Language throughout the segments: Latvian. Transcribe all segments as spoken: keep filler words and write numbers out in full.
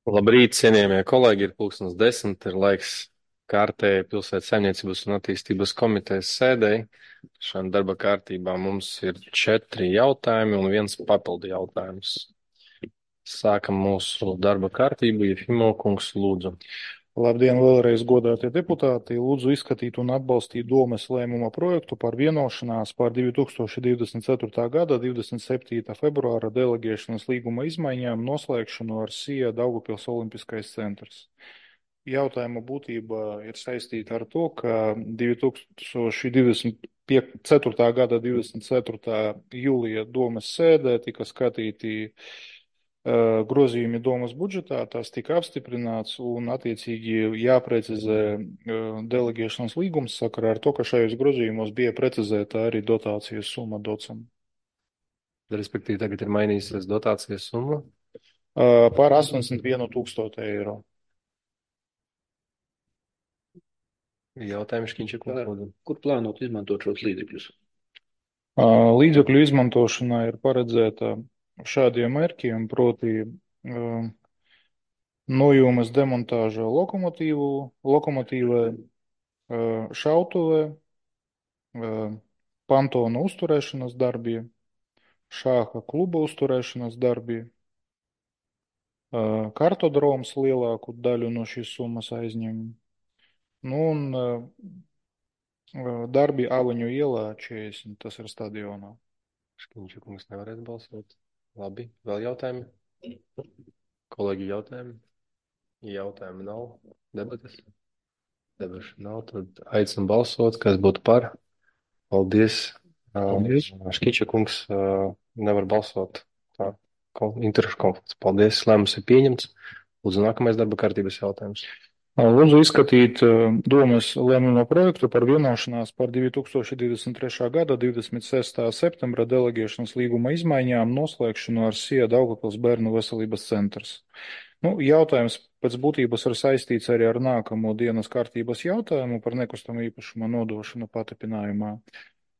Labrīt, cienījamie kolēģi, ir pulkstens desmit, ir laiks kārtēji pilsētas saimniecības un attīstības komitejas sēdēji. Šajā darba kārtībā mums ir četri jautājumi un viens papildu jautājums. Sākam mūsu darba kārtību, Jefimo kungs, lūdzu. Labdien, vēlreiz godātie deputāti! Lūdzu izskatīt un atbalstīt Domes lēmuma projektu par vienošanās par divi tūkstoši divdesmit ceturtā gada divdesmit septītā februāra deleģēšanas līguma izmaiņām noslēgšanu ar S I A Daugavpils Olimpiskais centrs. Jautājuma būtība ir saistīta ar to, ka divi tūkstoši divdesmit ceturtā gada divdesmit ceturtā jūlija Domes sēdē tika skatīti grozījumi Domas budžetā, tās tika apstiprināts un attiecīgi jāprecizē deleģēšanas līgums sakarā ar to, ka šajos grozījumos bija precizēta arī dotācijas summa docam. Respektīvi, tagad ir mainījusies dotācijas summa? Par astoņdesmit vienu tūkstošu eiro. Jautājums, Škiņša kungs, lūdzu. Kur plānot izmantot šos līdzekļus? Līdzekļu izmantošanā ir paredzēta šādiem mērķiem, proti uh, nojūmes demontāža lokomotīvu, lokomotīvē, uh, šautuvē, uh, pantona uzturēšanas darbi, šāha kluba uzturēšanas darbi, uh, kartodroms lielāku daļu no šīs summas aizņem, nu un uh, darbi Avaņu ielā četrdesmit, tas ir stadionā. Škiņša kungs nevarēs balsot. Labi, vēl jautājumi? Kolēģi jautājumi? Jautājumi nav. Debates? Debašu nav, tad aicinu balsot, kas būtu par. Paldies. Paldies. Škiņša kungs nevar balsot. Tā, interešu konflikts. Paldies, lēmums ir pieņemts. Lūdzu, nākamais darba kārtības jautājums. Lūdzu izskatīt Domes lēmuma projektu par vienošanās par divi tūkstoši divdesmit trešā gada divdesmit sestā septembra deleģēšanas līguma izmaiņām noslēgšanu ar S I A Daugavpils bērnu veselības centrs. Nu, jautājums pēc būtības ir saistīts arī ar nākamo dienas kārtības jautājumu par nekustamo īpašuma nodošanu patripinājumā.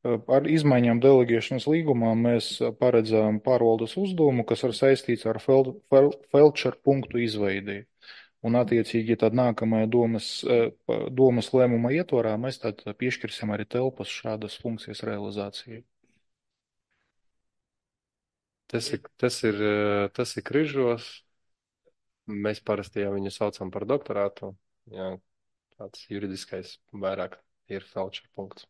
Ar izmaiņām deleģēšanas līgumā mēs paredzām pārvaldes uzdevumu, kas ir saistīts ar fel, fel, felčer punktu izveidi. Un attiecīgi tad nākamajā domas, domas lēmuma ietvarā mēs tad piešķirsim arī telpas šādas funkcijas realizācijai. Tas ir, tas ir, tas ir Križos. Mēs parasti jau viņu saucam par doktorātu. Jā, tāds juridiskais vairāk ir felčer punkts.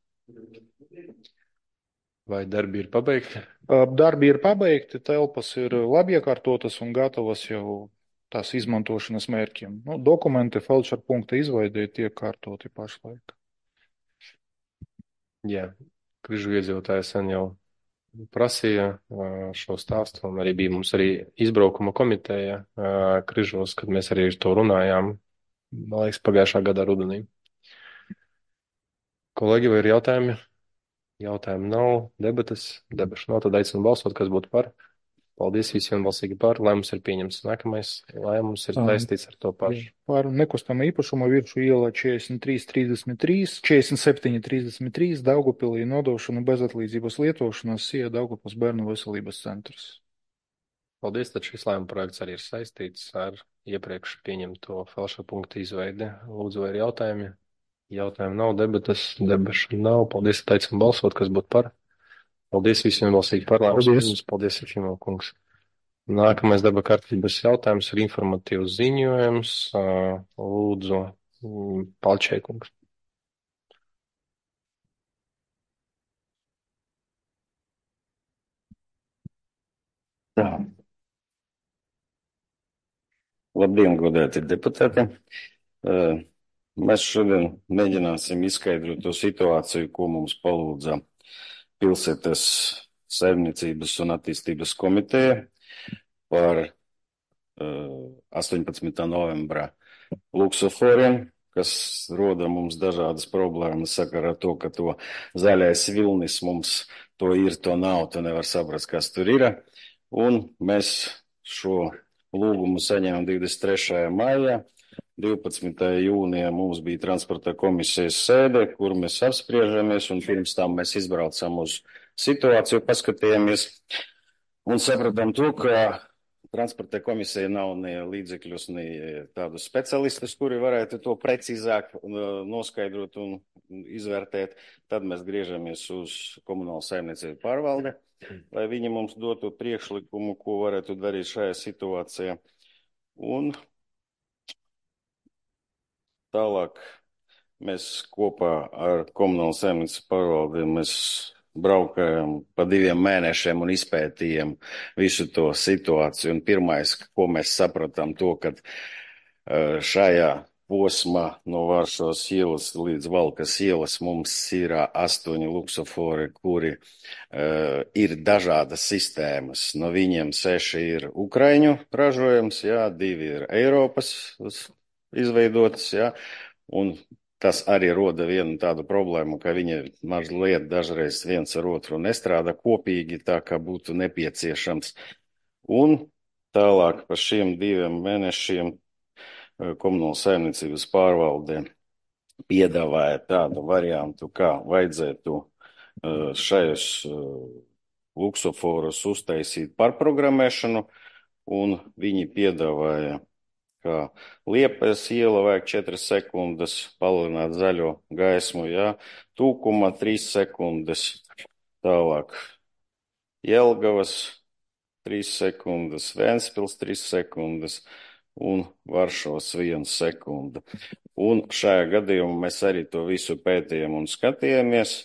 Vai darbi ir pabeigti? Darbi ir pabeigti, telpas ir labi iekārtotas un gatavas jau tās izmantošanas mērķiem. Nu, dokumenti felčer punkta izveidē tiek kārtoti pašlaik. Jā, Križu iedzīvotāji sen jau prasīja šo stāstu, un arī bija mums arī izbraukuma komiteja Križos, kad mēs arī ar to runājām, man liekas, pagājušā gada rudenī. Kolēģi, vai ir jautājumi? Jautājumi nav, debatas, debašu nav, tad aicinu balsot, kas būtu par. Paldies visiem balsīgi par, lēmums ir pieņemts. Nākamais lēmums ir saistīts ar to pašu. Par nekustamo īpašumu Viršu ielā četrdesmit trīs trīsdesmit trīs, četrdesmit septiņi trīsdesmit trīs, Daugavpilī nodošanu bezatlīdzības lietošanas S I A Daugavpils bērnu veselības centrs. Paldies, tad šis lēmuma projekts arī ir saistīts ar iepriekš pieņemto felčer punktu izveidi. Lūdzu, vai ir jautājumi? Jautājumi nav, debatas, debašu nav. Paldies, tad aicinu balsot, kas būtu par. Paldies visiem balsīgi par lēmumus. Paldies, Jefimo kungs. Nākamais darba kārtības jautājums ir informatīvs ziņojums. Lūdzu, Palčē kungs. Tā. Labdien, godēti deputāti. Mēs šodien mēģināsim izskaidrot to situāciju, ko mums palūdza pilsētas saimniecības un attīstības komiteja par astoņpadsmitā novembra luksuforiem, kas roda mums dažādas problēmas sakarā ar to, ka to zaļais vilnis mums to ir, to nav, to nevar saprast, kas tur ir. Un mēs šo lūgumu saņēmām divdesmit trešajā maijā. divpadsmitajā jūnijā mums bija transporta komisijas sēde, kur mēs apspriežamies, un pirms tam mēs izbraucam uz situāciju, paskatījāmies un sapratām to, ka transporta komisija nav ne līdzekļus, ne tādus specialistus, kuri varētu to precīzāk noskaidrot un izvērtēt. Tad mēs griežamies uz komunālu saimniecību pārvaldi, lai viņi mums dotu priekšlikumu, ko varētu darīt šajā situācijā. Un tālāk mēs kopā ar komunālu saimniecību pārvaldi mēs braukājam pa diviem mēnešiem un izpētījām visu to situāciju. Un pirmais, ko mēs sapratām, to, ka šajā posmā no Varšavas ielas līdz Valkas ielas mums ir astoņi luksofori, kuri uh, ir dažādas sistēmas. No viņiem seši ir Ukraiņu ražojums, jā, divi ir Eiropas izveidotas, jā, un tas arī roda vienu tādu problēmu, ka viņi mazliet dažreiz viens ar otru nestrādā kopīgi, tā kā būtu nepieciešams. Un tālāk par šiem diviem mēnešiem komunāla saimniecības pārvalde piedāvāja tādu variantu, kā vajadzētu šajos luksoforus uztaisīt pārprogrammēšanu, un viņi piedāvāja, kā Liepājas iela vajag četras sekundes, palielināt zaļo gaismu, jā, Tūkuma trīs sekundes, tālāk Jelgavas trīs sekundes, Ventspils trīs sekundes un Varšavas viena sekunda. Un šajā gadījumā mēs arī to visu pētījām un skatījāmies,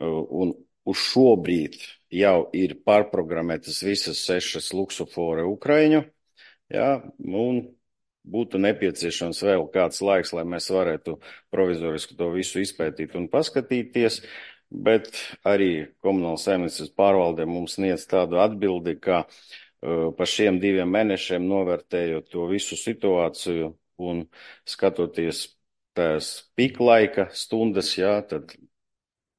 un uz šobrīd jau ir pārprogrammētas visas sešas luksofori Ukraiņu, jā, un būtu nepieciešams vēl kāds laiks, lai mēs varētu provizoriski to visu izpētīt un paskatīties, bet arī komunāla saimniecības pārvalde mums sniedz tādu atbildi, ka uh, pa šiem diviem mēnešiem novērtējot to visu situāciju un skatoties tās piklaika stundas, jā, tad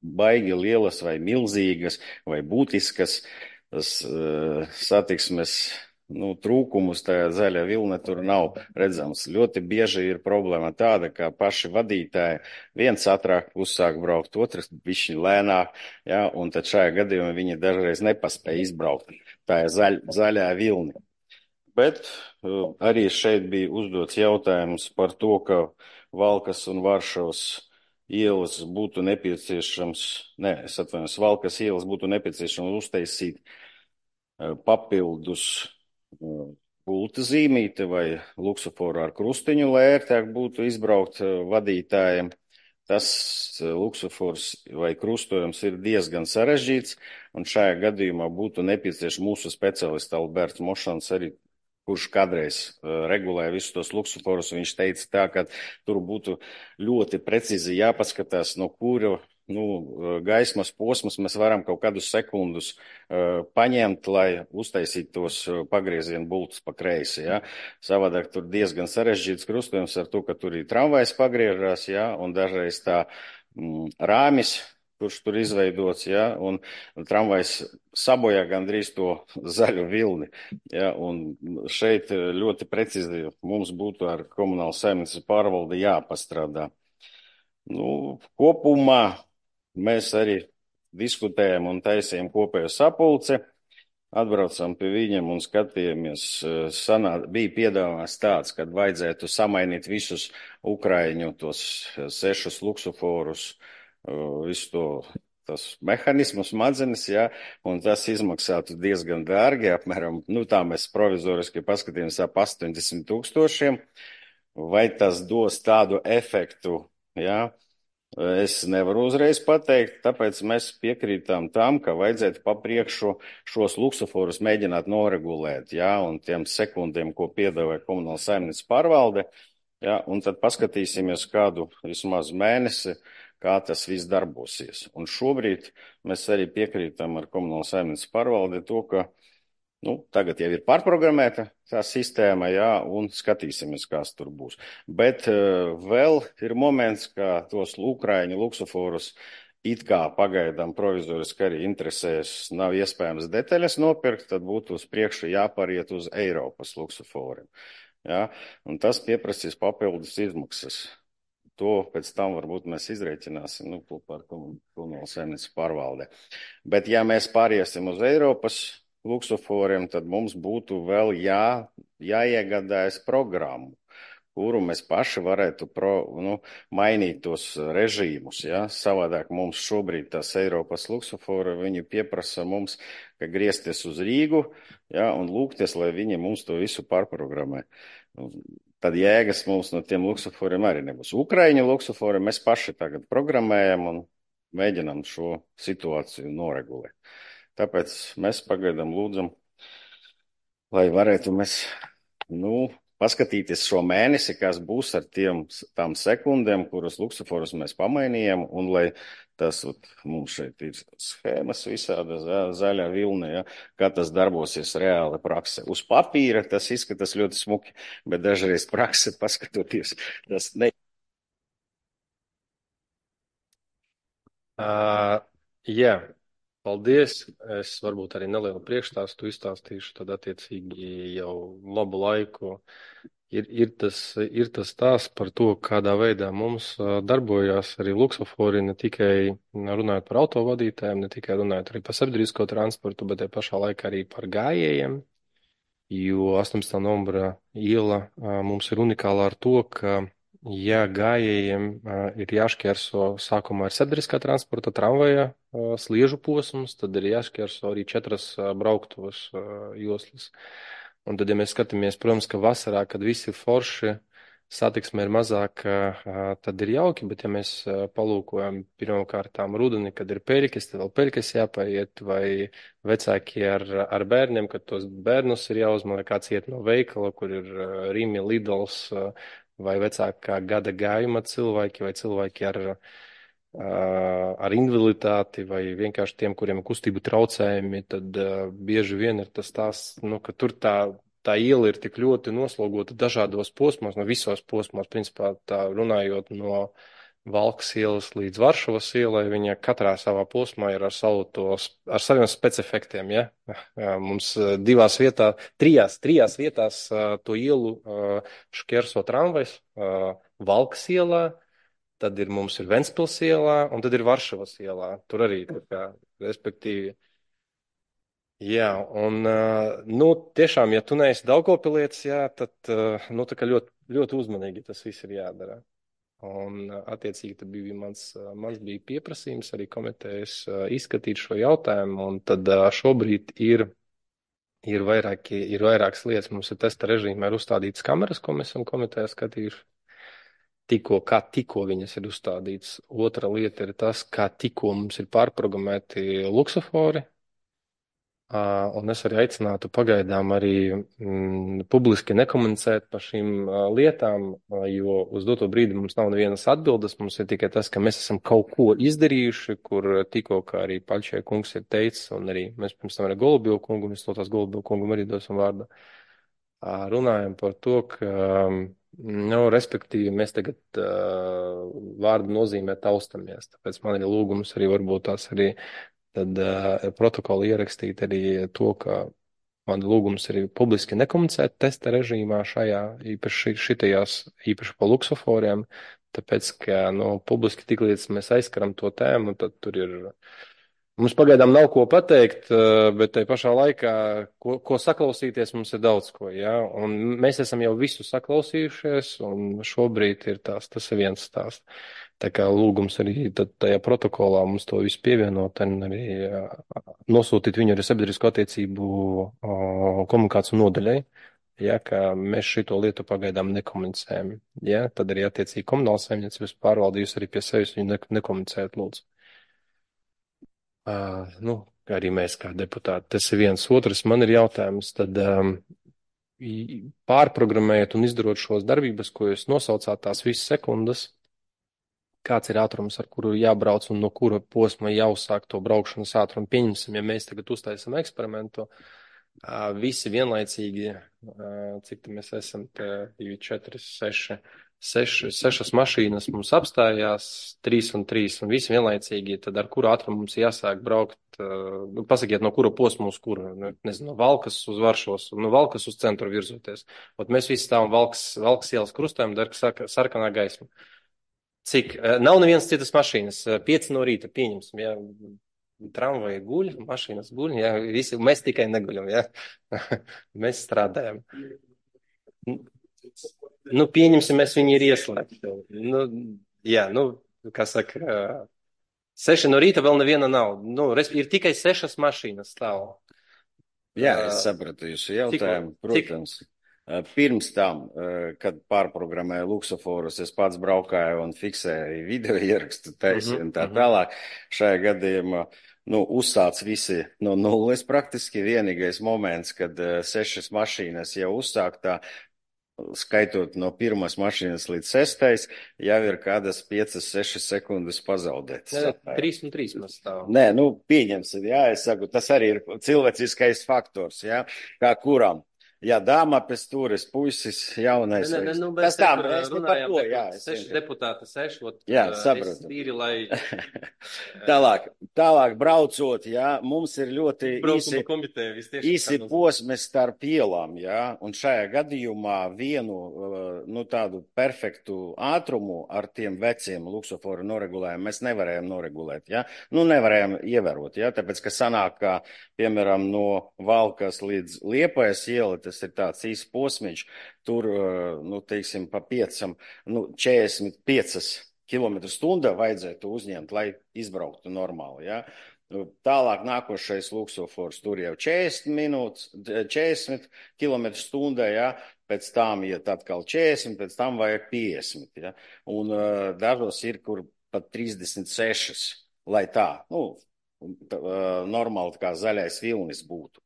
baigi lielas vai milzīgas vai būtiskas tas, uh, satiksmes Nu, trūkumus tajā zaļā vilne tur nav redzams. Ļoti bieži ir problēma tāda, ka paši vadītāji viens ātrāk uzsāk braukt, otrs bišķi lēnāk, ja, un tad šajā gadījumā viņi dažreiz nepaspēja izbraukt. Tā ir zaļ, zaļā vilni. Bet uh, arī šeit bija uzdots jautājums par to, ka Valkas un Varšavas ielas būtu nepieciešams, ne, es atvainojos, Valkas ielas būtu nepieciešams uztaisīt uh, papildus pulta zīmīte vai luksoforu ar krustiņu, lai ērtāk būtu izbraukt vadītājiem. Tas luksofors vai krustojums ir diezgan sarežģīts, un šajā gadījumā būtu nepieciešams mūsu speciālists Alberts Mošans arī, kurš kādreiz regulēja visus tos luksoforus. Viņš teica tā, ka tur būtu ļoti precīzi jāpaskatās, no kura nu, gaismas posmas mēs varam kaut kādus sekundus uh, paņemt, lai uztaisītu tos pagriezienu bultus pa kreisi, ja. Savādāk tur diezgan sarežģīts krustojums ar to, ka tur ir tramvajs pagriežās, ja, un dažreiz tā mm, rāmis, kurš tur izveidots, ja, un tramvajs sabojā gandrīz to zaļu vilni, ja, un šeit ļoti precīzi mums būtu ar komunālu saimniecības pārvaldi jāpastrādā. Nu, kopumā mēs arī diskutējam un taisījam kopējo sapulci, atbraucam pie viņiem un skatījāmies. Sanā, bija piedāvāts tāds, kad vajadzētu samainīt visus Ukraiņu tos sešus luksoforus, visu to tas mehanismus, smadzenes, jā, un tas izmaksātu diezgan dārgi, apmēram, nu tā mēs provizoriski paskatījāmies ap astoņdesmit tūkstošiem, vai tas dos tādu efektu, jā. Es nevaru uzreiz pateikt, tāpēc mēs piekrītām tam, ka vajadzētu papriekšu šos luksoforus mēģināt noregulēt, jā, un tiem sekundiem, ko piedāvāja komunāla saimniecības pārvalde, jā, un tad paskatīsimies kādu vismaz mēnesi, kā tas viss darbosies. Un šobrīd mēs arī piekrītam ar komunāla saimniecības pārvaldi to, ka Nu, tagad jau ir pārprogrammēta tā sistēma, jā, un skatīsimies, kas tur būs. Bet uh, vēl ir moments, ka tos Ukraiņu luksoforus it kā pagaidām provizoriski arī interesēs, nav iespējams detaļas nopirkt, tad būtu uz priekšu jāpāriet uz Eiropas luksoforiem. Jā, un tas pieprasīs papildus izmaksas. To pēc tam varbūt mēs izrēķināsim, nu, par komunālu saimniecības pārvaldē. Bet ja mēs pāriesim uz Eiropas luksuforiem, tad mums būtu vēl jā, jāiegādājas programmu, kuru mēs paši varētu pro, nu, mainīt tos režīmus. Ja? Savādāk mums šobrīd tās Eiropas luksofori, viņi pieprasa mums, ka griezties uz Rīgu, ja, un lūgties, lai viņi mums to visu pārprogrammē. Tad jēgas mums no tiem luksuforiem arī nebūs. Ukraiņu luksofori mēs paši tagad programmējam un mēģinām šo situāciju noregulēt. Tāpēc mēs pagaidām lūdzam, lai varētu mēs, nu, paskatīties šo mēnesi, kas būs ar tiem, tām sekundēm, kuras luksuforus mēs pamainījām, un lai tas, ot, mums šeit ir schēmas visāda zaļā vilna, ja, kā tas darbosies reāli praksē. Uz papīra tas izskatās ļoti smuki, bet dažreiz prakse paskatoties, tas ne. Uh, jā, paldies. Es varbūt arī nelielu priekšstāstu izstāstīšu, tad attiecīgi jau labu laiku ir, ir, tas, ir tas stāsts par to, kādā veidā mums darbojās arī luksofori, ne tikai runājot par autovadītājiem, ne tikai runājot arī par sabiedrisko transportu, bet arī pašā laikā arī par gājējiem, jo astoņpadsmitā novembra iela mums ir unikāla ar to, ka ja gājējiem uh, ir jāšķērso sākumā ar sabiedriskā transporta tramvaja uh, sliežu posms, tad ir jāšķērso arī četras uh, brauktuvas uh, joslas. Un tad, ja mēs skatāmies, protams, ka vasarā, kad visi ir forši, satiksme ir mazāk, uh, tad ir jauki, bet ja mēs uh, palūkojam pirmkārtām rudeni, kad ir peļķes, tad vēl peļķes jāpaiet, vai vecāki ar, ar bērniem, kad tos bērnus ir jāuzman, vai kāds iet no veikala, kur ir uh, Rimi, Lidls, uh, vai vecākā gada gājuma cilvēki, vai cilvēki ar, ar invaliditāti, vai vienkārši tiem, kuriem ir kustību traucējumi, tad bieži vien ir tas tās, nu, ka tur tā, tā iela ir tik ļoti noslogota dažādos posmos, no visos posmos, principā tā runājot no Valkas ielas līdz Varšavas ielai, viņa katrā savā posmā ir ar, savu tos, ar saviem specifektiem, ja? Mums divās vietās, trijās, trijās vietās to ielu šķērso tramvajs, Valkas ielā, tad ir mums ir Ventspils ielā, un tad ir Varšavas ielā. Tur arī, tā kā, respektīvi. Jā, un, nu, tiešām, ja tu neesi Daugavpilietis, jā, tad, nu, tā kā ļoti, ļoti uzmanīgi tas viss ir jādara. Un, attiecīgi, tad bija mans, mans bija pieprasījums arī komitejas izskatīt šo jautājumu, un tad šobrīd ir, ir, vairāki, ir vairākas lietas. Mums ir testa režīmā ir uzstādītas kameras, ko mēs esam komitejā skatījuši. Tikko, kā tikko viņas ir uzstādītas. Otra lieta ir tas, kā tikko mums ir pārprogrammēti luksofori. Uh, un es arī aicinātu pagaidām arī mm, publiski nekomunicēt par šīm uh, lietām, uh, jo uz doto brīdi mums nav nevienas atbildes, mums ir tikai tas, ka mēs esam kaut ko izdarījuši, kur tikko, kā arī Paļčē kungs ir teicis, un arī mēs pirms tam arī Golubievu kungu, mēs to tās Golubievu kungam arī dosim vārdu, uh, runājam par to, ka, um, nu, respektīvi, mēs tagad uh, vārdu nozīmē taustamies, tāpēc man ir lūgums arī varbūt tās arī tad uh, protokoli ierakstīt arī to, ka man lūgums ir publiski nekomunicēt testa režīmā šajā, īpaši šitajās, īpaši pa luksoforiem, tāpēc, ka, nu, publiski tik līdz mēs aizskaram to tēmu, tad tur ir, mums pagaidām nav ko pateikt, bet tai pašā laikā, ko, ko saklausīties, mums ir daudz ko, jā, un mēs esam jau visu saklausījušies, un šobrīd ir tās, tas ir viens stāsts. Tā kā lūgums arī tad tajā protokolā mums to visu pievienot un arī nosūtīt viņu arī sabiedrisko attiecību komunikāciju nodaļai, ja, ka mēs šito lietu pagaidām nekomunicējam. Ja, tad arī attiecīgi komunāls saimniecības pārvaldījus arī pie sevis viņu ne, nekomunicēt, lūdzu. Uh, nu, arī mēs kā deputāti, tas ir viens otrs. Man ir jautājums, tad um, pārprogrammējot un izdarot šos darbības, ko jūs nosaucāt tās visas sekundes, kāds ir ātrums, ar kuru jābrauc un no kura posma jāuzsāk to braukšanas ātrumu. Pieņemsim, ja mēs tagad uztaisam eksperimentu, visi vienlaicīgi, cik mēs esam, divi, četri, seši, seši, sešas mašīnas mums apstājās, trīs un trīs, un visi vienlaicīgi, tad ar kuru ātrumu mums jāsāk braukt, nu, pasakiet, no kura posma uz kuru, nezinu, no Valkas uz Varšavas, no Valkas uz centru virzoties. Ot mēs visi stāvam Valkas, Valkas ielas krustojam, dar sarkanā gaisma. Cik? Nav nevienas citas mašīnas. Pieci no rīta pieņemsim, ja tramvaji guļ, mašīnas guļ, jā, visi, mēs tikai neguļam, jā. Mēs strādājam. Nu, pieņemsim, mēs viņi ir ieslēgti. Nu, jā, nu, kā saka, seši no rīta vēl neviena nav. Nu, ir tikai sešas mašīnas stāv. Jā, es sapratu jūsu jautājumu, protams. Cik? Pirms tam, kad pārprogrammēju luksoforus, es pats braukāju un fiksēju video ierakstu taisi un tā tālāk. Šajā gadījumā, nu, uzsāc visi no nulles praktiski. Vienīgais moments, kad sešas mašīnas jau uzsāktā, skaitot no pirmās mašīnas līdz sestais, jau ir kādas piecas, sešas sekundes pazaudētas. Jā, trīs un trīs mēs stāvam. Nē, nu, pieņemsim, jā, es saku, tas arī ir cilvēciskais faktors, jā, kā kuram. Jā, dāma pēc turis, puisis, jaunais. Ne, ne, nu, tas tā, mēs ne par to, jā. Seši deputāti, seši, ot, jā, sapratu. Tīri, lai... tālāk, tālāk braucot, jā, mums ir ļoti īsi, komiteja, īsi posmi starp ielām, jā, un šajā gadījumā vienu, nu, tādu perfektu ātrumu ar tiem veciem luksoforu noregulējumu mēs nevarējām noregulēt, jā, nu, nevarējām ievērot, jā, tāpēc, ka sanāk, kā, piemēram, no Valkas līdz Liepājas iela, tas ir tāds īsts posmiņš, tur, nu, teiksim, pa piecam, nu, četrdesmit piecas kilometru stundā vajadzētu uzņemt, lai izbrauktu normāli, jā. Tālāk nākošais luksofors, tur jau četrdesmit minūtes, četrdesmit kilometru stundā, jā, pēc tam iet atkal četrdesmit, pēc tam vajag piecdesmit, jā, un uh, dažos ir, kur pat trīsdesmit sešas, lai tā, nu, tā, uh, normāli kā zaļais vilnis būtu.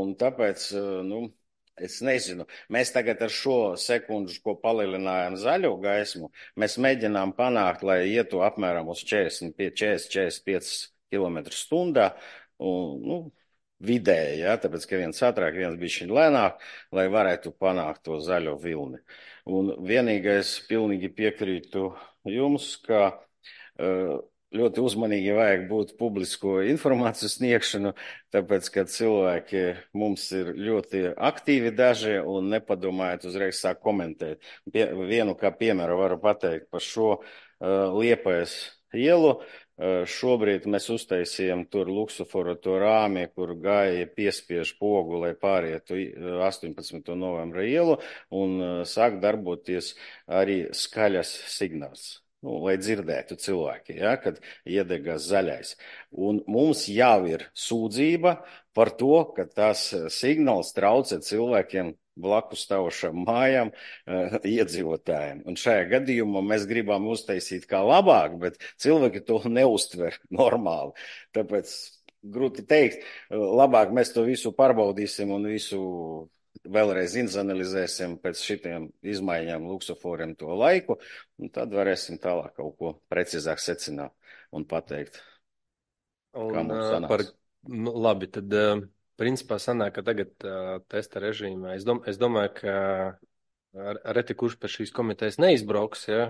Un tāpēc, uh, nu, es nezinu, mēs tagad ar šo sekundžu, ko palielinājām zaļo gaismu, mēs mēģinām panākt, lai ietu apmēram uz četrdesmit, četrdesmit, četrdesmit piecas kilometru stundā, un, nu, vidēji, ja, tāpēc, ka viens ātrāk, viens bišķiņ lēnāk, lai varētu panākt to zaļo vilni. Un vienīgais pilnīgi piekrītu jums, ka uh, ļoti uzmanīgi vajag būt publisko informāciju sniegšanu, tāpēc, ka cilvēki mums ir ļoti aktīvi daži un nepadomājot uzreiz sāk komentēt. Pie, vienu kā piemēru varu pateikt par šo uh, Liepājas ielu. Uh, šobrīd mēs uztaisījām tur luksoforu to rāmi, kur gāja piespiež pogu, lai pārietu astoņpadsmito novembra ielu un uh, sāk darboties arī skaļas signāls. Nu, lai dzirdētu cilvēki, ja, kad iedegās zaļais. Un mums jau ir sūdzība par to, ka tas signāls traucē cilvēkiem blakus stāvošām mājām uh, iedzīvotājiem. Un šajā gadījumā mēs gribam uztaisīt kā labāk, bet cilvēki to neuztver normāli. Tāpēc grūti teikt, labāk mēs to visu pārbaudīsim un visu vēlreiz izanalizēsim pēc šitiem izmaiņām luksoforiem to laiku, un tad varēsim tālāk kaut ko precīzāk secināt un pateikt, un, kā mums sanāks. Par, labi, tad principā sanāk, ka tagad testa režīmā, es, dom, es domāju, ka reti kurš pēc šīs komitejas neizbrauks, ja,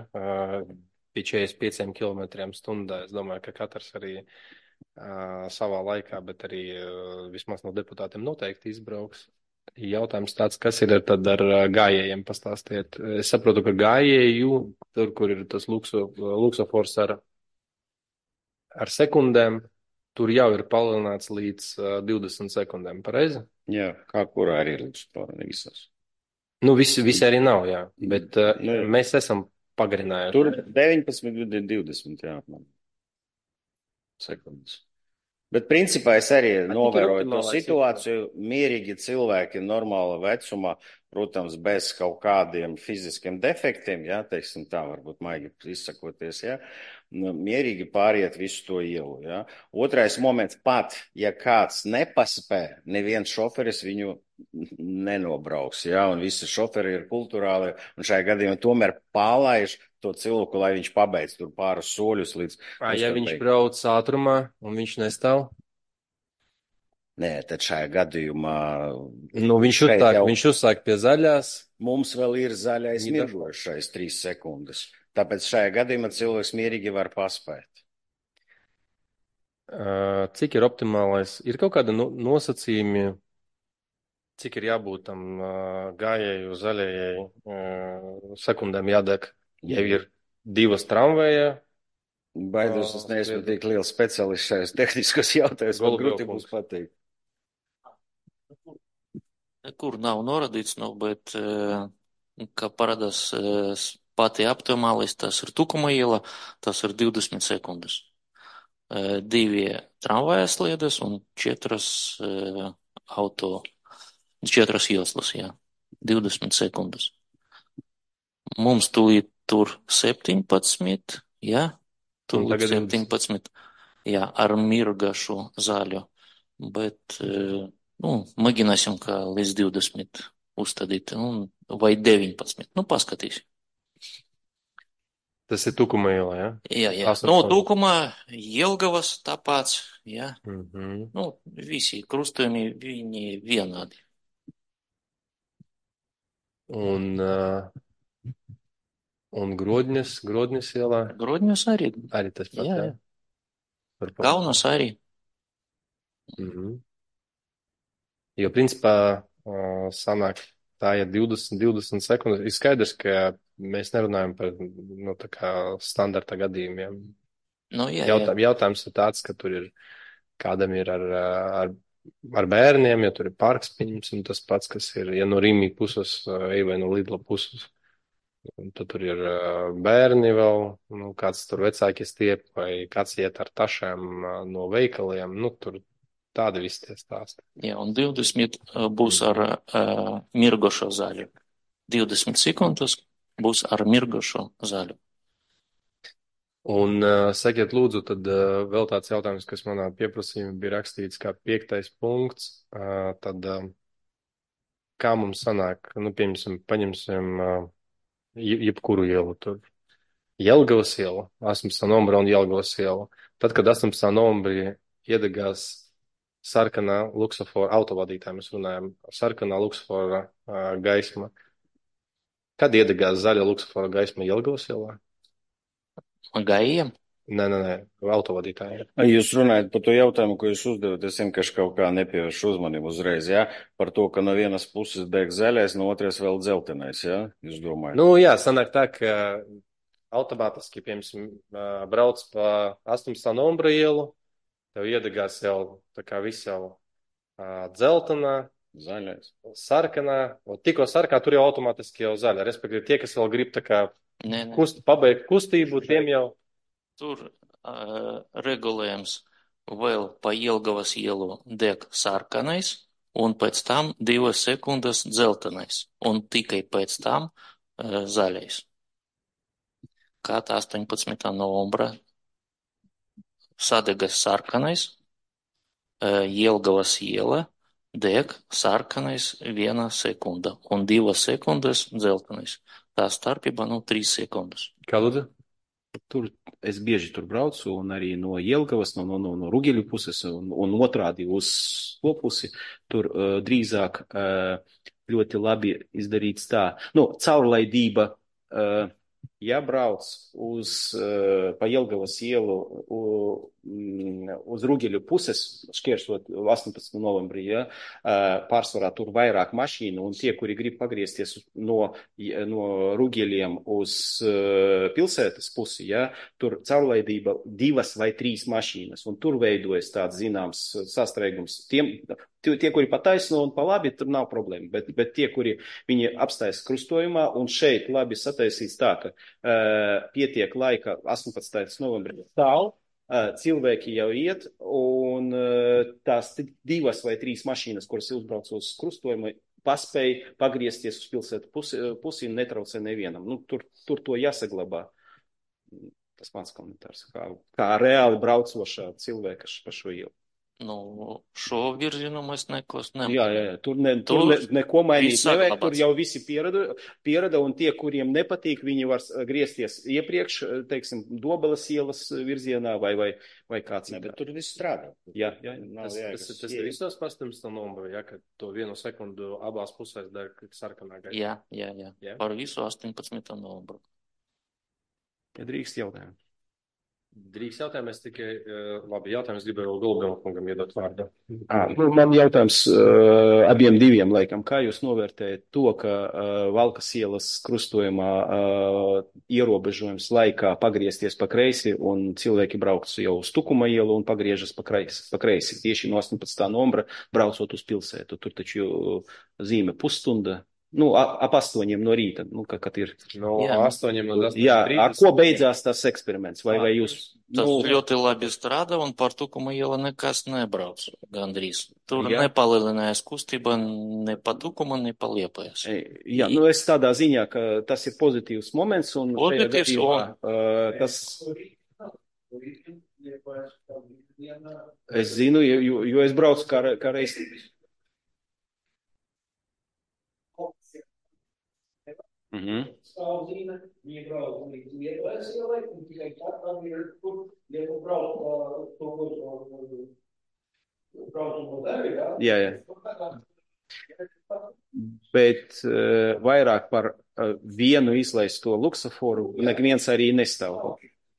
pie četrdesmit pieciem kilometriem stundā. Es domāju, ka katrs arī savā laikā, bet arī vismaz no deputātiem noteikti izbrauks. Jautājums tāds, kas ir tad ar gājējiem, pastāstiet. Es saprotu, ka gājēju, tur, kur ir tas lukso, luksofors ar, ar sekundēm, tur jau ir palielināts līdz divdesmit sekundēm, pareizi? Jā, kā kurā arī ir luksofora, ne visas. Nu, visi, visi arī nav, jā, bet nu, mēs esam pagarinājuši. Tur deviņpadsmit, divdesmit, jā, sekundes. Bet principā es arī novēroju to situāciju, mierīgi cilvēki normāla vecumā, protams, bez kaut kādiem fiziskiem defektiem, jā, teiksim tā, varbūt maigi izsakoties, jā, mierīgi pāriet visu to ielu, jā. Otrais moments pat, ja kāds nepaspē, neviens šoferis viņu nenobrauks, jā, un visi šoferi ir kulturāli, un šajā gadījumā tomēr pālaiž to cilvēku, lai viņš pabeidz tur pāris soļus līdz... Ā, ja viņš brauc ātrumā un viņš nestāv? Nē, tad šajā gadījumā... Nu, viņš uzsāk, jau... viņš uzsāk pie zaļās. Mums vēl ir zaļais mirgošais trīs sekundes. Tāpēc šajā gadījumā cilvēks mierīgi var paspēt. Uh, cik ir optimālais? Ir kaut kāda no, nosacījumi, cik ir jābūt tam uh, gājēju zaļajai uh, sekundēm jādek? Ja ir divas tramvēja Baidos, es Ā, neesmu spriedzi. tik liels speciālists šajos tehniskos jautājumos, man grūti būs Golubjovkungs. pateikt. Nekur nav norādīts, nu, bet, eh, kā parādās eh, s- pati optimālais, tas ir Tukuma iela, tas ir divdesmit sekundes. Eh, Divi tramvaja sliedes un četras eh, auto, četras joslas, jā. divdesmit sekundes. Mums tūlīt tur septiņpadsmit, jā, Un tūlīt tagad divdesmit. septiņpadsmit, jā, ar mirgašu zaļu, bet, eh, nu, mēģināsim, kā līdz divdesmit uzstādīt, un, vai deviņpadsmit, nu, paskatīsim. Tas ir Tukuma ielā, ja? Jā, jā, nu, astoņpadsmit. Tūkumā, Jelgavas tāpats, jā, Mhm. nu, visi krustojumi, viņi vienādi. Un, uh, un Grodņas, Grodņas ielā Grodņos arī, arī tas pats, jā, jā? jā, Par Kaunas arī. Mhm. Jo, principā, uh, sanāk, tā ir divdesmit, divdesmit sekundes. Ir skaidrs, ka mēs nerunājam par, nu, tā kā standarta gadījumiem. Nu, jā, jā, Jautā, jautājums ir tāds, ka tur ir, kādam ir ar, ar, ar bērniem, ja tur ir parks, pieņemsim, tas pats, kas ir, ja no Rīmī puses, uh, ej vai no Lidla puses. Un tad tur ir uh, bērni vēl, nu, kāds tur vecāki stiep, vai kāds iet ar tašām uh, no veikaliem, nu, tur tādi visi tie stāsti. jā, un divdesmit uh, būs ar uh, mirgošo zaļu. divdesmit sekundes būs ar mirgošo zaļu. Un uh, sakiet, lūdzu, tad uh, vēl tāds jautājums, kas manā pieprasījumā bija rakstīts kā piektais punkts, uh, tad uh, kā mums sanāk, nu, piemēram, paņemsim uh, je- jebkuru ielu tur. Jelgavas iela, astoņpadsmitā novembra un Jelgavas iela. Tad, kad astoņpadsmitā novembrī iedegās sarkanā luksofora autovadītāja, mēs runājam, sarkanā luksofora uh, gaisma. Kad iedegās zaļa luksofora gaisma Jelgavas ielā? Gājiem? Nē, nē, nē, autovadītāji. Jūs runājat par to jautājumu, ko jūs uzdevat, es vienkārši kaut kā nepievēršu uzmanību uzreiz, jā? Par to, ka no vienas puses deg zaļais, no otras vēl dzeltenais, jā? Jūs domājat? Nu, jā, sanāk tā, ka automātiski, piemēram, uh, brauc pa astoņpadsmitā novembra ielu, tev iedegās jau tā kā viss jau uh, dzeltenā, Zaļais. sarkanā, un tikko sarkanā, tur jau automātiski jau zaļa. Respektīvi, tie, kas vēl grib tā kā Nē, nē. kust, pabeigt kustību, tiem jau. Tur uh, regulējums vēl pa Jelgavas ielu deg sarkanais, un pēc tam divas sekundes dzeltenais, un tikai pēc tam uh, zaļais. Kā tā astoņpadsmitā novembra sadegas sarkanais, uh, Jelgavas iela deg sarkanais viena sekunda, un divas sekundes dzeltenais. Tā starpība, nu, trīs sekundes. Kā lūdzu? Tur es bieži tur braucu, un arī no Jelgavas, no, no, no, no Rugeļu puses, un, un otrādi uz to pusi. Tur uh, drīzāk uh, ļoti labi izdarīts tā. Nu, caurlaidība, uh, ja brauc uz, uh, pa Jelgavas ielu uh, uz Rugeļu puses, šķērsot astoņpadsmitā novembrī, ja, uh, pārsvarā tur vairāk mašīnu, un tie, kuri grib pagriezties no, no Rugeļiem uz uh, pilsētas pusi, ja, tur caurlaidība divas vai trīs mašīnas, un tur veidojas tāds zināms sastrēgums. Tiem, tie, tie, kuri pa taisno un pa labi, tur nav problēma, bet, bet tie, kuri viņi apstājas krustojumā, un šeit labi sataisīts tā, ka uh, pietiek laika astoņpadsmitais novembrī tālu, uh, cilvēki jau iet, un uh, tās divas vai trīs mašīnas, kuras uzbrauc uz krustojumu, paspēja pagriezties uz pilsētu pusi, pusi un netraucē nevienam. Nu, tur, tur to jāsaglabā. Tas mans komentārs, kā, kā reāli braucošā cilvēka pa šo ielu. Nu, šo virzienu mēs nekos Jā, nemainām. jā, jā, tur, ne, tur Tur ne, neko mainīt viss nevajag, saglabāts. tur jau visi pierada, pierada, un tie, kuriem nepatīk, viņi var griezties iepriekš, teiksim, Dobeles ielas virzienā vai, vai, vai kāds. Ne, bet tur viss strādā. Jā, jā, Nav Tas, jēgas. tas, tas ir visos astoņpadsmitā novembrī, ja, ka to vienu sekundu abās pusēs deg sarkanā gaisma. Jā, jā, jā. Jā. Par visu astoņpadsmitā novembru. ja drīkst jautājumu. Drīz jautājums tikai, uh, labi, jautājums gribēju vēl Gulbēla kungam iedot vārdu. À, nu, man jautājums uh, abiem diviem laikam. Kā jūs novērtējat to, ka uh, Valkas ielas krustojumā uh, ierobežojums laikā pagriezties pa kreisi un cilvēki brauc jau uz Tukuma ielu un pagriežas pa kreisi, pa kreisi tieši no astoņpadsmitā novembra braucot uz pilsētu? Tur taču zīme pusstunda. Nu, a- ap astoņiem no rīta, nu, ka, kad ir. No Jā. astoņiem līdz astoņiem Jā, ar trīsdesmit. ko beidzās tas eksperiments? Vai, vai jūs, Tas nu, ļoti labi strādā un par Tukuma ielu nekas nebrauc gandrīz. Tur Jā. nepalielinājās kustība ne pa Tukuma, ne pa Liepājas. e, jā, nu es tādā ziņā, ka tas ir pozitīvs moments un šajā Pozitīvs, gadījumā, un- uh, tas, es zinu, jo, jo- jo es braucu kā, re- kā reiz. Mhm. Stāvzīme, viņa brauc līdz Liepājas ielai, un tikai tad tam ir tur, ja tu brauc uh, to, ko brauc no tevi, jā? Jā, jā. Bet uh, vairāk par uh, vienu izlaisto luksaforu neviens arī nestāv.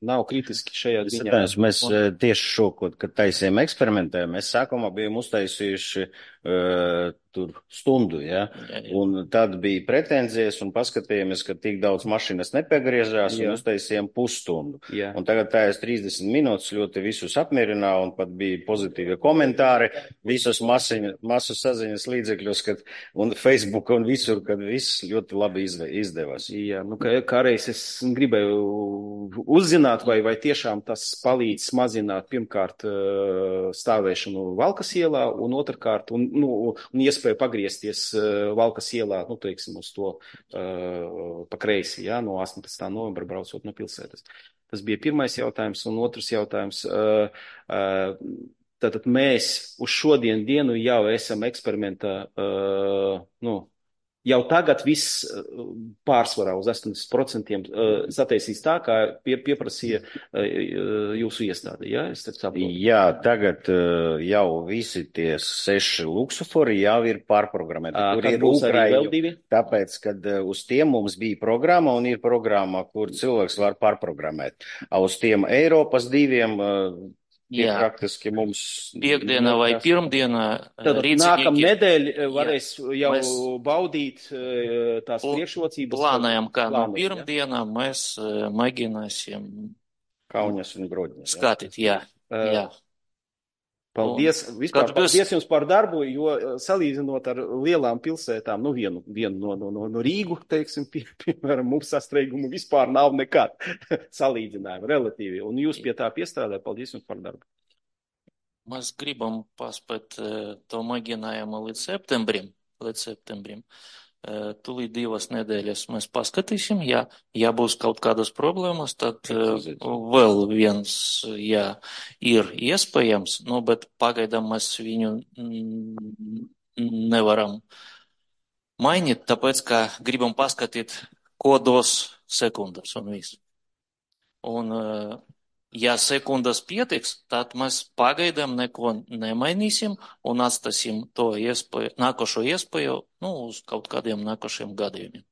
Nav kritiski šajā ziņā. Satājums, mēs eh, tieši šo, ko- kad taisījām eksperimentē, mēs sākumā bijām uztaisījuši uh, tur stundu, ja? Jā, jā. Un tad bija pretenzijas un paskatījāmies, ka tik daudz mašinas nepiegriežās Jā. un uztaisījām pusstundu. Jā. Un tagad tā es trīsdesmit minūtes ļoti visus apmierināju un pat bija pozitīvi komentāri visos masiņu, masu saziņas līdzekļos, kad, un Facebook un visur, kad viss ļoti labi izve, izdevās. Jā, nu, kā, kā reiz es gribēju uzzināt, vai, vai tiešām tas palīdz mazināt pirmkārt eh, stāvēšanu Valkas ielā un otrkārt, un, nu, un iespēju pagriezties eh, Valkas ielā, nu, teiksim, uz to uh, pa kreisi, jā, no astoņpadsmitā novembra braucot no pilsētas. Tas bija pirmais jautājums, un otrs jautājums. Uh, uh, tātad mēs uz šodien dienu jau esam eksperimentā, uh, nu, jau tagad viss uh, pārsvarā uz astoņdesmit procentiem uh, sataisīs tā, kā pie, pieprasīja uh, jūsu iestāde, jā? Es tad saprotu. Jā, tagad uh, jau visi tie seši luksofori jau ir pārprogrammēti. Ā, Tur kad ir būs arī vēl Ukraiņu. divi? Tāpēc, kad uh, uz tiem mums bija programma un ir programma, kur cilvēks var pārprogrammēt. A uz tiem Eiropas diviem uh, tie Jā. praktiski mums. Piekdienā vai nekas- pirmdienā Tad rīcīgi nākam nedēļ varēs jau Mēs- baudīt eh, tās Pl- priekšrocības. plānojam, kā no Plānojam, jā. pirmdienā mēs eh, mēģināsim Kauņas un Grodņas. jā. skatīt. Jā, Eh, jā. Paldies, vispār kad būs- paldies jums par darbu, jo eh, salīdzinot ar lielām pilsētām, nu vienu, vienu no, no, no, no Rīgu, teiksim, pie, piemēram, mums sastrēgumu vispār nav nekad salīdzinājumu relatīvi. Un jūs pie tā piestrādājat, paldies jums par darbu. Mēs gribam paspēt eh, to mēģinājumu līdz septembrim. Līdz septembrim. Eh, Tūlīt divas nedēļas mēs paskatīsim. Ja, ja būs kaut kādas problēmas, tad eh, vēl viens, jā, ir iespējams, nu, bet pagaidām mēs viņu mm, nevaram mainīt, tāpēc, ka gribam paskatīt, ko dos sekundas un viss. Un, eh, ja sekundas pietiks, tad mēs pagaidām neko nemainīsim un atstāsim to iespēju, nākošo iespēju, nu, uz kaut kādiem nākošiem gadījumiem.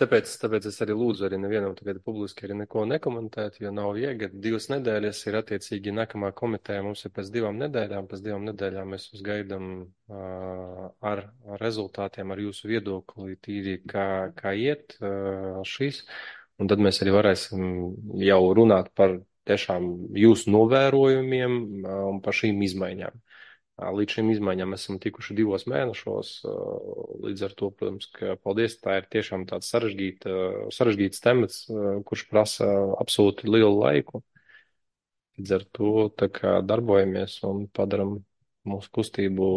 Tāpēc, tāpēc es arī lūdzu arī nevienam tagad publiski arī neko nekomentēt, jo nav viegli. Divas nedēļas ir attiecīgi nākamā komiteja, mums ir pēc divām nedēļām, pēc divām nedēļām mēs jūs gaidām uh, ar, ar rezultātiem, ar jūsu viedokli, tīri kā, kā iet uh, šis. Un tad mēs arī varēsim jau runāt par tiešām jūsu novērojumiem uh, un par šīm izmaiņām. Uh, Līdz šīm izmaiņām esam tikuši divos mēnešos, uh, līdz ar to, protams, ka paldies, tā ir tiešām tāds sarežģīta, sarežģīts temats, uh, kurš prasa absolūti lielu laiku. Līdz ar to tā kā darbojamies un padaram mūsu kustību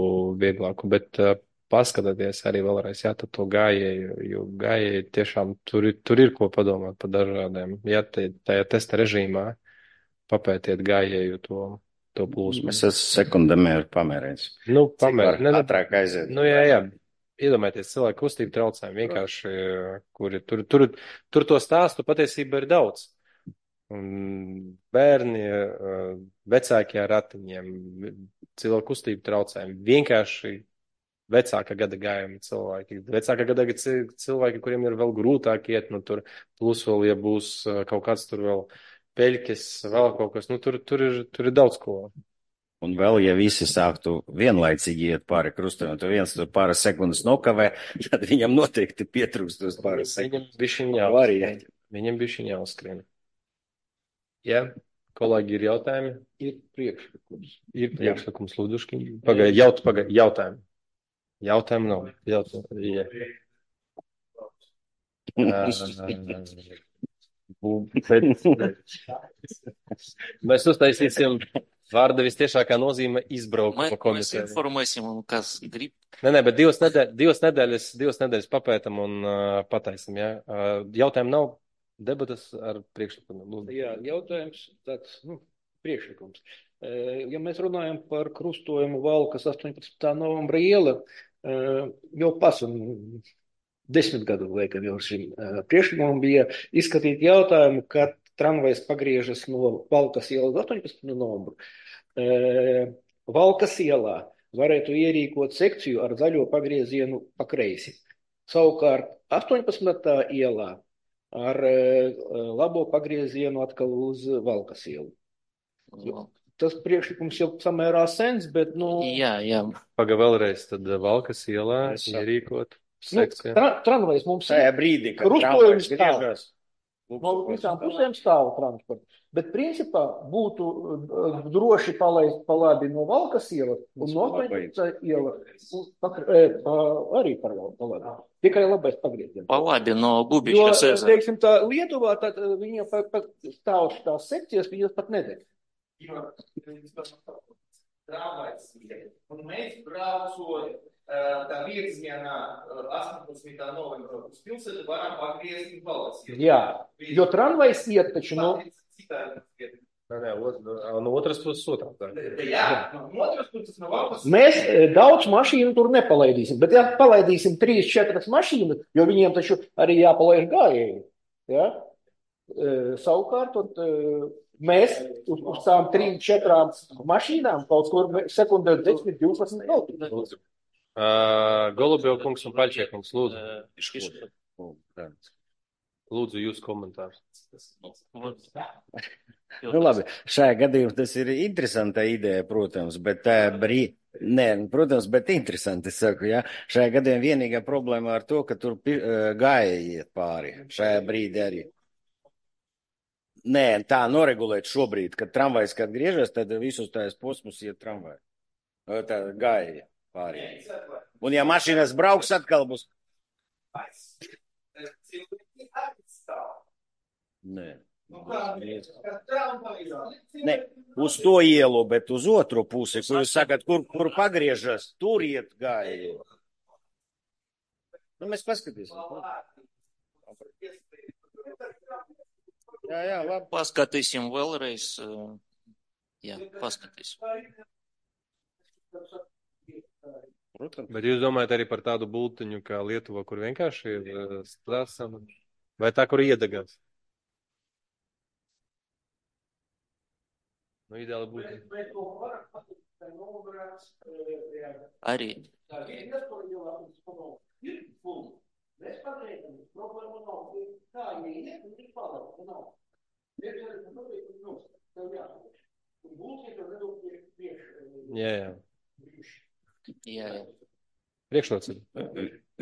vieglāku, bet uh, paskatieties arī vēlreiz, jā, tad to gājēju, jo gājēji tiešām tur, ir- tur ir ko padomāt par dažādiem. Jā, te- tajā testa režīmā papētiet gājēju to, to plūsmu. Es esmu sekundamēr pamērējis. Nu, Cik pamēr, var ne, ne, ātrāk aiziet. nu, jā, jā. Iedomājieties, cilvēku kustību traucējumi vienkārši, kuri tur, tur, tur to stāstu patiesībā ir daudz. Un bērni, eh, vecākie ar ratiņiem, cilvēku kustību traucējumi, vienkārši vecāka gada gājumi cilvēki. Vecāka gada ci- cilvēki, kuriem ir vēl grūtāk iet, nu tur plus vēl, ja būs eh, kaut kāds tur vēl peļķes, vēl kaut kas. Nu, tur, tur ir, tur ir daudz ko. Un vēl, ja visi sāktu vienlaicīgi iet pāri krustojumam, tad viens tur pāris sekundes nokavē, tad viņam noteikti pietrūkst tos pāris Viņam sekundes. bišķiņ Variēti. jāuzskrien. Viņam bišķiņ jāuzskrien. Jā, kolēģi, ir jautājumi? Ir priekšlikums. Ir priekšlikums, Lūduški. Pagaid, jaut, pagaid, jautājumi. Jautājumu nav. Jautājumu. Jā. Uh, bet, mēs uztaisīsim vārda vistiešākā nozīme izbraukt Mē, pa mēs komiteju. informēsim, un kas grib. Nē, nē, bet divas nedēļas, divas nedēļas, divas nedēļas papētam un uh, pataisim, jā. Uh, jautājumu nav, debatas ar priekšlikumiem. Lūdzu. Jā, jautājums tāds, nu, priekšlikums. Eh, Ja mēs runājam par krustojumu Valkas astoņpadsmitā novembra iela, eh, jau pasun desmit gadu laikam jau šim eh, priekšlikumam bija izskatīt jautājumu, kad tramvajs pagriežas no Valkas ielas astoņpadsmitā novembru. Eh, Valkas ielā varētu ierīkot sekciju ar zaļo pagriezienu pa kreisi. Savukārt astoņpadsmitā ielā ar eh, labo pagriezienu atkal uz Valkas ielu. Tas priekšlikums jau samērā sens, bet, nu, Jā, jā. Paga vēlreiz, tad Valkas ielā Es saprotu. ierīkot nu sekciju. tra, tramvajs mums Tajā ir, brīdī, kad Krustojums tramvajs griežas. no visām pusēm stāv transports. Bet principā būtu uh, droši palaist pa labi no Valkas ielas un no astoņpadsmitā ielas un pa, e, pa, arī par pa labi. Tikai labais pagrieziens. Pa labi no Jo, Bubiškas ezera. teiksim, tā Lietuvā, tad uh, viņiem pat, pat stāv tās sekcijas, viņas pat nedeg. Jo tramvajs iet, un mēs braucot uh, tā virzienā uh, astoņpadsmitā novembra uz pilsētu varam pagriezt uz Valkas ielu. Jā, jo tramvajs iet taču no... Citādi iet. Nē, nē, ot- no otras puses otrā. tā. Jā, no otras puses no Valkas. Mēs e, daudz mašīnu tur nepalaidīsim, bet ja palaidīsim trīs, četras mašīnas, jo viņiem taču arī jāpalaiž gājēji, ja? E, savukārt, tad, e, mēs uz, uz tām trim, četrām mašīnām kaut kur sekundē desmit, divpadsmit veltīt. Lūdzu. Uh, Golubiev kungs un Paļčie kungs, lūdzu. Э, Lūdzu, jūs komentārs. Nu, labi, šajā gadījumā tas ir interesanta ideja, protams, bet tā brī... Nē, protams, bet interesanti, es saku, jā. Šajā gadījumā vienīgā problēma ar to, ka tur pi- ā, gāja iet pāri. Šajā brīdī arī. Nē, tā noregulēt šobrīd, kad tramvajs, kad griežas, tad visus tās posmus iet tramvajs. Ā, Tā gāja iet pāri. Un ja mašīnas brauks, atkal būs... Cilvēki atstāv. Nē. Nu kā, kad tramvajā. Ne, uz to ielu, bet uz otru pusi, kur jūs sakat, kur, kur pagriežas, tur iet gāja. Nu, mēs paskatīsim. Jā, jā, labi. Paskatīsim vēlreiz. э, Jā, paskatīsim. Protams. Bet jūs domājat arī par tādu bultiņu kā Lietuva, kur vienkārši ir uh, strāsam? Vai tā, kur iedegās? Nu, ideāli būtu. Bet to var pateikt, ka nobrāts, jā. Arī. Tā ir iespējama, ir fulma. Mēs pateikam, problēma nav. Kā ieiet, un ir paliek, nav. Mēs arī pateikam, nu, tev jāsaka. Un būs, ja tev nedod priekš, priekš. Jā, jā. Jā, jā. Priekšrocība.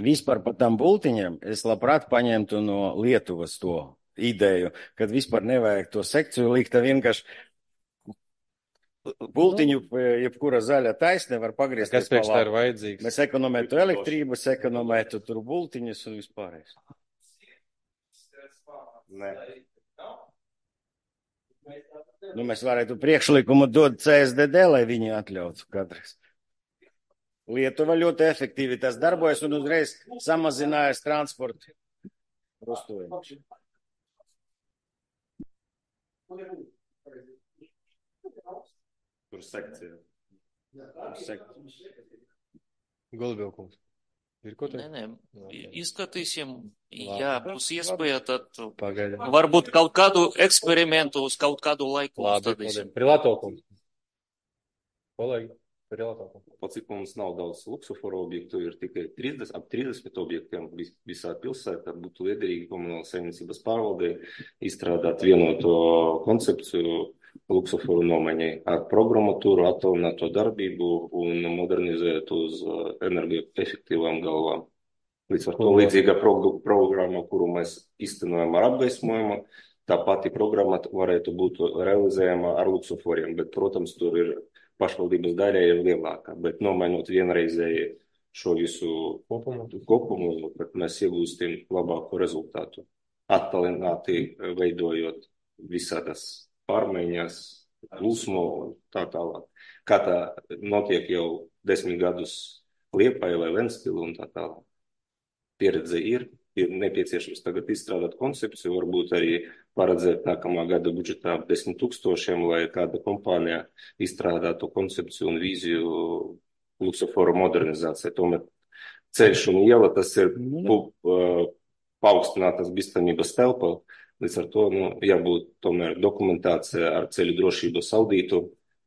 Vispār par tām bultiņām es labprāt paņemtu no Lietuvas to ideju, kad vispār nevajag to sekciju likt, tā vienkārši bultiņu, jebkura zaļa taisne var pagriezt. Kas priekš tā ir vajadzīgs? Mēs ekonomētu elektrību, ekonomētu tur bultiņus un vispārējais. Nē. Nu, mēs varētu priekšlikumu dot C S D D, lai viņi atļautu katrs. Lietuva ļoti efektīvi tas darbojas un uzreiz samazinājas transportu krustojumu. Tur sekcija. Tur sekcija. Golubiev kungs. Ir ko Nē, teikt? nē. Izskatīsim. Ja būs iespēja, tad Pagaidām. varbūt kaut kādu eksperimentu uz kaut kādu laiku Labi, uzstādīsim. Prilato kungs. Kolēģi, Tur jautājums. Pa cik mums nav daudz luksuforu objektu, ir tikai trīsdesmit, ap trīsdesmit objektiem vis, visā pilsētā, būtu liederīgi komunālas saimniecības pārvaldei izstrādāt vienoto koncepciju luksuforu nomaiņai ar programmatūru, attālināto darbību un modernizēt uz energoefektīvām galvām. Līdz ar to līdzīga pro, programma, kuru mēs iztenojam ar apgaismojumu, tā pati programma varētu būt realizējama ar luksuforiem, bet, protams, tur ir pašvaldības daļa ir lielāka, bet nomainot vienreizēji šo visu kopumu, kopumu, tad mēs iegūstim labāku rezultātu. Attālināti veidojot visādas pārmaiņas, plūsmu un tā tālāk. Kā tā notiek jau desmit gadus Liepāja vai Ventspili un tā tālāk. Pieredze ir, ir nepieciešams tagad izstrādāt koncepciju, varbūt arī paredzēt nākamā gada budžetā desmit tūkstošiem, lai kāda kompānija izstrādātu koncepciju un vīziju luksuforu modernizācijai. Tomēr ceļš un iela, tas ir pu, uh, paaugstinātas bīstamības telpa, līdz ar to nu, jābūt tomēr dokumentācija ar ceļu drošības audītu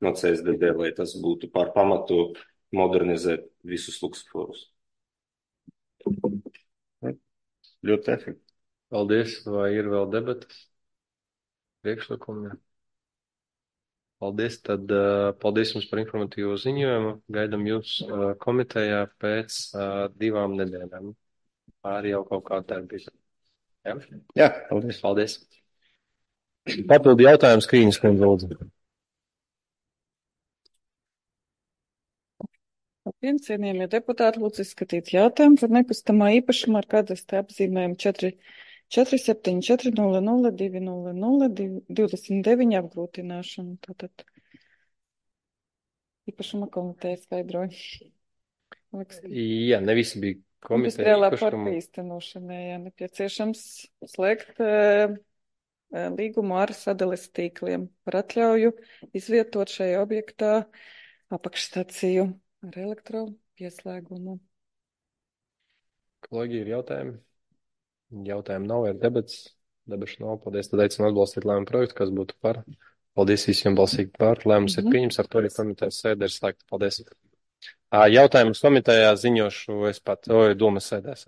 no C S D D, lai tas būtu par pamatu modernizēt visus luksuforus. Ļoti efektīvi. Paldies, vai ir vēl debatas? Priekšlikumi? Paldies, tad uh, paldies jums par informatīvo ziņojumu. Gaidam jūs uh, komitejā pēc uh, divām nedēļām. Pāri jau kaut kāda darbība. Ja? Jā, paldies. Paldies. Papildu jautājums, Krīņas kundze, lūdzu. Labdien, cienījamie deputāti, lūdzu izskatīt jautājumu par nekustamā īpašuma ar kadastra apzīmējumu četri četri septiņi četri nulle nulle divi nulle nulle divdesmit deviņi apgrūtināšanu. Tātad īpašuma komiteja skaidroja. Jā, ne visi bija komiteja Industriālā īpašuma. parka īstenošanai, jā, nepieciešams slēgt uh, līgumu ar sadales tīkliem par atļauju izvietot šajā objektā apakšstaciju ar elektropieslēgumu. Kolēģi, ir jautājumi? Jautājumi nav, ir debats. Debašu nav. Paldies. Tad aicinu atbalstīt lēmumu projektu, kas būtu par. Paldies visiem balsīgi par. Lēmums mm-hmm. ir pieņems, ar to arī komitejas sēde ir slēgta. Paldies. Jautājumus komitejā ziņošu es pat, o, domas sēdēs.